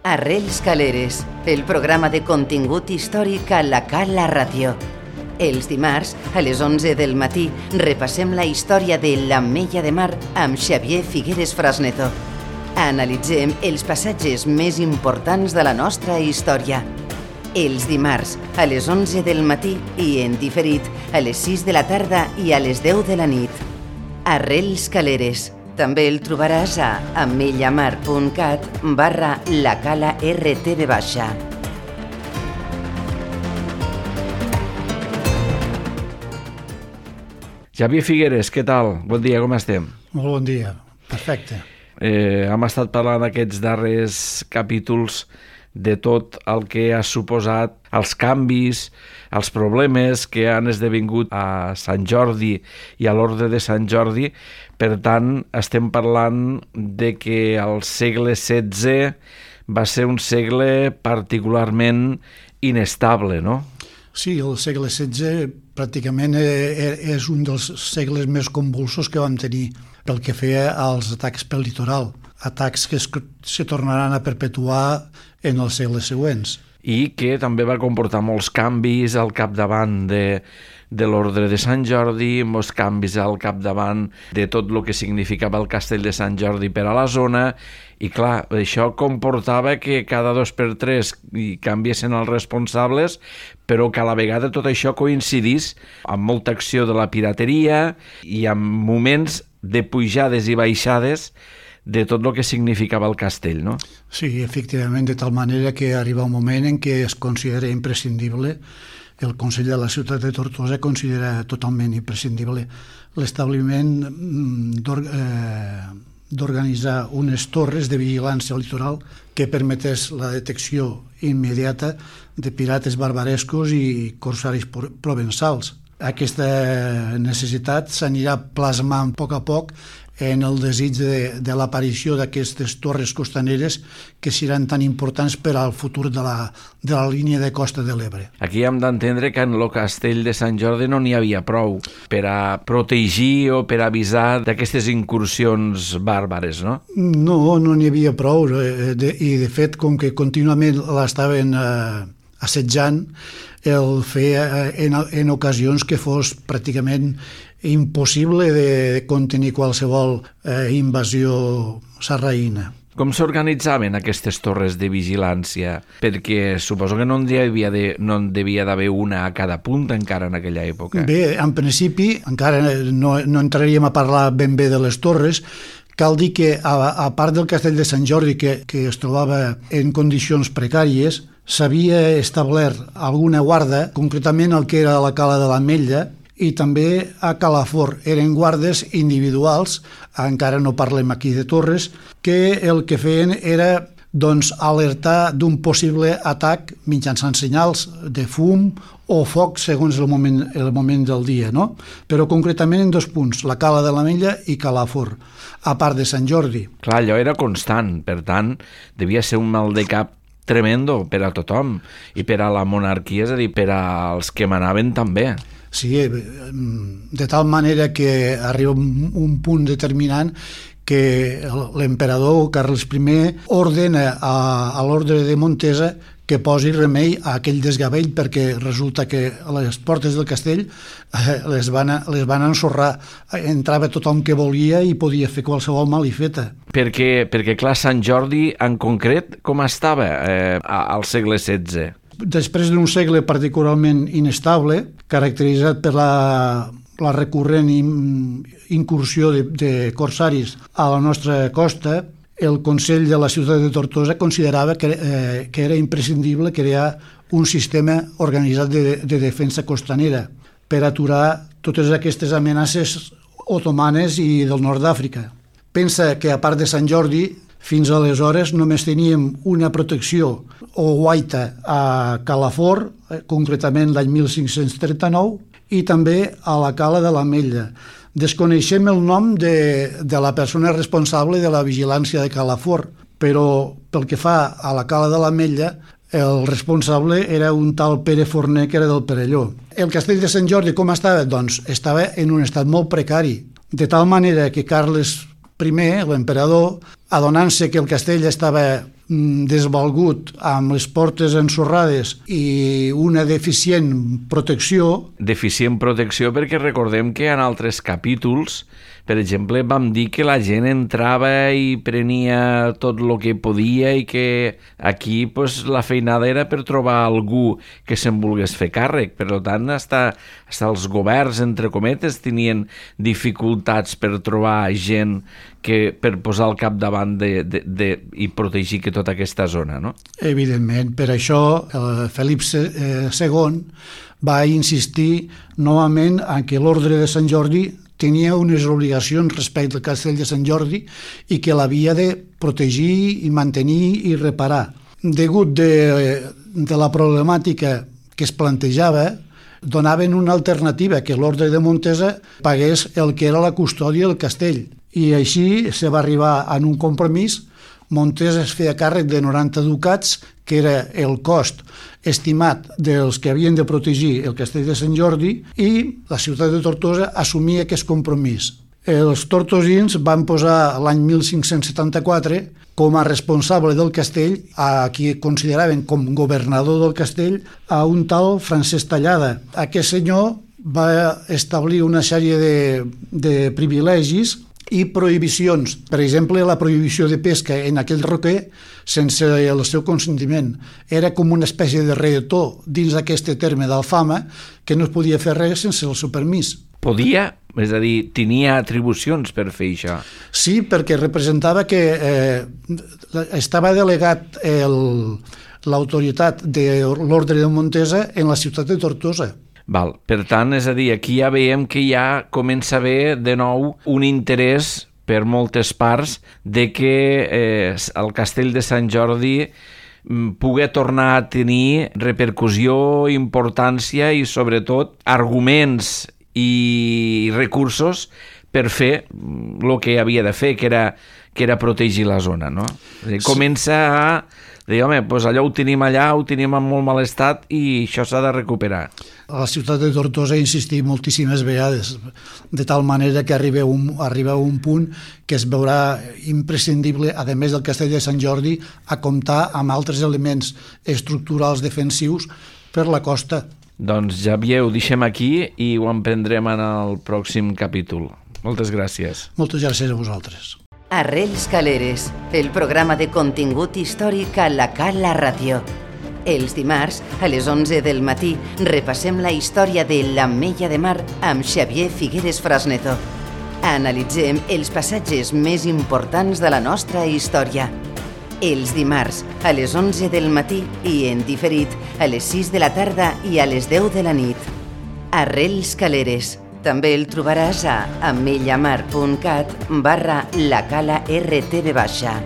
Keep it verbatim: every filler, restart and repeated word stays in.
Arrels Caleres, el programa de contingut històric a la Cala Ràdio. Els dimarts, a les onze del matí, repassem la història de l'Ametlla de Mar amb Xavier Figueres Frasneto. Analitzem els passatges més importants de la nostra història. Els dimarts, a les onze del matí i en diferit, a les sis de la tarda i a les deu de la nit. Arrels Caleres. També el trobaràs a amellamar.cat barra la cala rtv baixa. Xavier Figueres, què tal? Bon dia, com estem? Molt bon dia, perfecte. Eh, hem estat parlant aquests darrers capítols de tot el que ha suposat els canvis, els problemes que han esdevingut a Sant Jordi i a l'Orde de Sant Jordi. Per tant, estem parlant de que el segle setze va ser un segle particularment inestable, no? Sí, el segle setze pràcticament és un dels segles més convulsos que vam tenir pel que feia als atacs pel litoral, atacs que es, se tornaran a perpetuar en els segles següents. I que també va comportar molts canvis al capdavant de, de l'Ordre de Sant Jordi, molts canvis al capdavant de tot el que significava el Castell de Sant Jordi per a la zona, i clar, això comportava que cada dos per tres canviessin els responsables, però que a la vegada tot això coincidís amb molta acció de la pirateria i amb moments de pujades i baixades de tot el que significava el castell, no? Sí, efectivament, de tal manera que arriba un moment en què es considera imprescindible, el Consell de la Ciutat de Tortosa considera totalment imprescindible l'establiment d'organitzar unes torres de vigilància litoral que permetés la detecció immediata de pirates barbarescos i corsaris provençals. Aquesta necessitat s'anirà plasmant a poc a poc en el desig de, de l'aparició d'aquestes torres costaneres que seran tan importants per al futur de la, de la línia de costa de l'Ebre. Aquí hem d'entendre que en el castell de Sant Jordi no n'hi havia prou per a protegir o per a avisar d'aquestes incursions bàrbares, no? No, no n'hi havia prou, de, i de fet, com que contínuament l'estaven eh, assetjant, el feia en, en ocasions que fos pràcticament impossible de contenir qualsevol eh, invasió sarraïna. Com s'organitzaven aquestes torres de vigilància? Perquè suposo que no n'hi havia de, no en devia d'haver una a cada punta encara en aquella època. Bé, en principi, encara no, no entraríem a parlar ben bé de les torres. Cal dir que, a, a part del Castell de Sant Jordi, que, que es trobava en condicions precàries, s'havia establert alguna guarda, concretament el que era la Cala de l'Ametlla, i també a Calafort. Eren guardes individuals, encara no parlem aquí de torres, que el que feien era doncs, alertar d'un possible atac mitjançant senyals de fum o foc segons el moment, el moment del dia, no? Però concretament en dos punts, la Cala de l'Ametlla i Calafort, a part de Sant Jordi. Clar, allò era constant, per tant, devia ser un mal de cap tremendo per a tothom, i per a la monarquia, és a dir, per als que manaven també. Sí, de tal manera que arriba un punt determinant que l'emperador Carles I ordena a, a l'ordre de Montesa que posi remei a aquell desgavell, perquè resulta que les portes del castell les van, les van ensorrar. Entrava tothom que volia i podia fer qualsevol malifeta. Perquè, perquè clar, Sant Jordi en concret com estava eh, al segle setze? Després d'un segle particularment inestable, caracteritzat per la, la recurrent incursió de, de corsaris a la nostra costa, el Consell de la Ciutat de Tortosa considerava que, eh, que era imprescindible crear un sistema organitzat de, de defensa costanera per aturar totes aquestes amenaces otomanes i del nord d'Àfrica. Pensa que, a part de Sant Jordi, fins aleshores només teníem una protecció o guaita a Calafort, concretament l'any mil cinc-cents trenta-nou, i també a la Cala de l'Ametlla. Desconeixem el nom de, de la persona responsable de la vigilància de Calafort, però pel que fa a la Cala de l'Ametlla, el responsable era un tal Pere Forner, que era del Perelló. El castell de Sant Jordi com estava? Doncs estava en un estat molt precari, de tal manera que Carles I, l'emperador, adonant-se que el castell estava desvalgut amb les portes ensorrades i una deficient protecció. Deficient protecció perquè recordem que en altres capítols, per exemple, vam dir que la gent entrava i prenia tot el que podia i que aquí pues, la feinada era per trobar algú que se'n volgués fer càrrec. Per tant, hasta, hasta els governs, entre cometes, tenien dificultats per trobar gent que per posar al capdavant de, de, de, i protegir que tota aquesta zona, no? Evidentment, per això el Felip segon va insistir novament en que l'ordre de Sant Jordi tenia unes obligacions respecte al castell de Sant Jordi i que l'havia de protegir i mantenir i reparar. Degut de, de la problemàtica que es plantejava, donaven una alternativa, que l'ordre de Montesa pagués el que era la custòdia del castell. I així se va arribar a un compromís. Montesa es feia càrrec de noranta ducats, que era el cost estimat dels que havien de protegir el castell de Sant Jordi, i la ciutat de Tortosa assumia aquest compromís. Els tortosins van posar l'any mil cinc-cents setanta-quatre com a responsable del castell, a qui consideraven com governador del castell, a un tal Francesc Tallada. Aquest senyor va establir una sèrie de, de privilegis i prohibicions. Per exemple, la prohibició de pesca en aquell roquer sense el seu consentiment. Era com una espècie de reetor dins d'aquest terme d'Alfama, que no es podia fer res sense el seu permís. Podia? És a dir, tenia atribucions per fer això? Sí, perquè representava que eh, estava delegat el, l'autoritat de l'ordre de Montesa en la ciutat de Tortosa. Val. Per tant, és a dir, aquí ja veiem que ja comença a haver de nou un interès per moltes parts de que eh, el castell de Sant Jordi pugui tornar a tenir repercussió, importància i, sobretot, arguments i recursos per fer el que havia de fer, que era, que era protegir la zona, no? Sí. Comença a dir, home, doncs allò ho tenim allà, ho tenim en molt mal estat i això s'ha de recuperar. A la ciutat de Tortosa ha insistit moltíssimes vegades, de tal manera que arriba un, arriba un punt que es veurà imprescindible, a més del castell de Sant Jordi, a comptar amb altres elements estructurals defensius per la costa. Doncs Xavier, ho deixem aquí i ho emprendrem en el pròxim capítol. Moltes gràcies. Moltes gràcies a vosaltres. Arrels Caleres, el programa de contingut històric a la Cala Ràdio. Els dimarts, a les onze del matí, repassem la història de l'Ametlla de Mar amb Xavier Figueres Frasneto. Analitzem els passatges més importants de la nostra història. Els dimarts, a les onze del matí i en diferit, a les sis de la tarda i a les deu de la nit. Arrels Caleres. També el trobaràs a amellamar punt cat barra la cala R T V baixa.